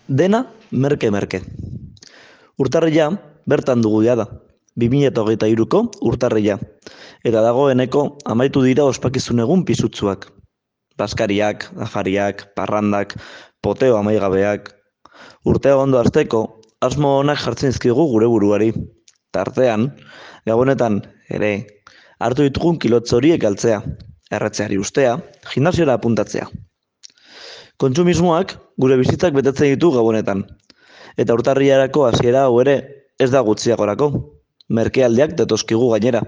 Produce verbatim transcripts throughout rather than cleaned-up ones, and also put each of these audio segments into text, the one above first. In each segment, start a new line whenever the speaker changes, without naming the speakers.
Dena merke-merke. Urtarrila bertan dugu jada, bi mila hogeita hiruko urtarrila, eta dagoeneko amaitu dira ospakizun egun pisutsuak. Baskariak, afariak, parrandak, poteo amaigabeak. Urtea ondo hasteko, asmo onak jartzen dizkigu gure buruari. Tartean, gabonetan ere, hartu ditugun kilotz horiek galtzea, erretzeari ustea, gimnasiora apuntatzea. Kontsumismoak gure bizitzak betetzen ditu gabonetan. Eta urtarrilarako hasiera hau ere ez da gutxiagorako. Merkealdiak datoskigu gainera.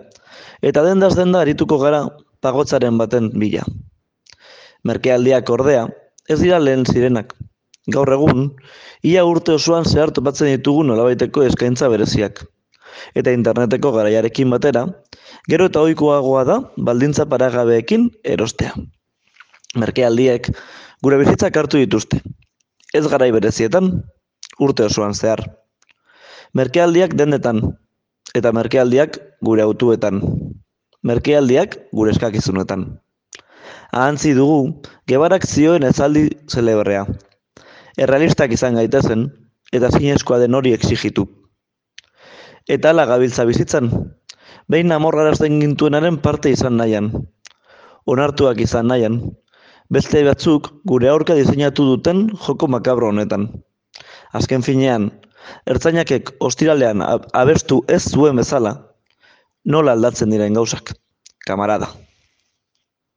Eta dendaz denda arituko gara pagotzaren baten bila. Merkealdiak ordea, ez dira lehen zirenak. Gaur egun, ia urte osoan zehar topatzen ditugu nolabaiteko eskaintza bereziak. Eta interneteko garaiarekin batera, gero eta ohikoagoa da baldintza paragabeekin erostea. Merkealdiek gure bizitzak hartu dituzte. Ez garai berezietan, urte osoan zehar. Merkealdiak dendetan, eta merkealdiak gure autuetan. Merkealdiak gure eskakizunetan. Ahantzi dugu, Gebarak zioen ezaldi zelebrea. Errealistak izan gaitezen, eta zinezkoa den hori exigitu. Eta ala gabiltza bizitzan, behin amorrarazten gintuenaren parte izan nahian. Onartuak izan nahian, beste batzuk gure aurka diseinatu duten joko makabro honetan. Azken finean, ertzainakek ostiralean abestu ez zuen bezala, nola aldatzen diren gauzak, kamarada.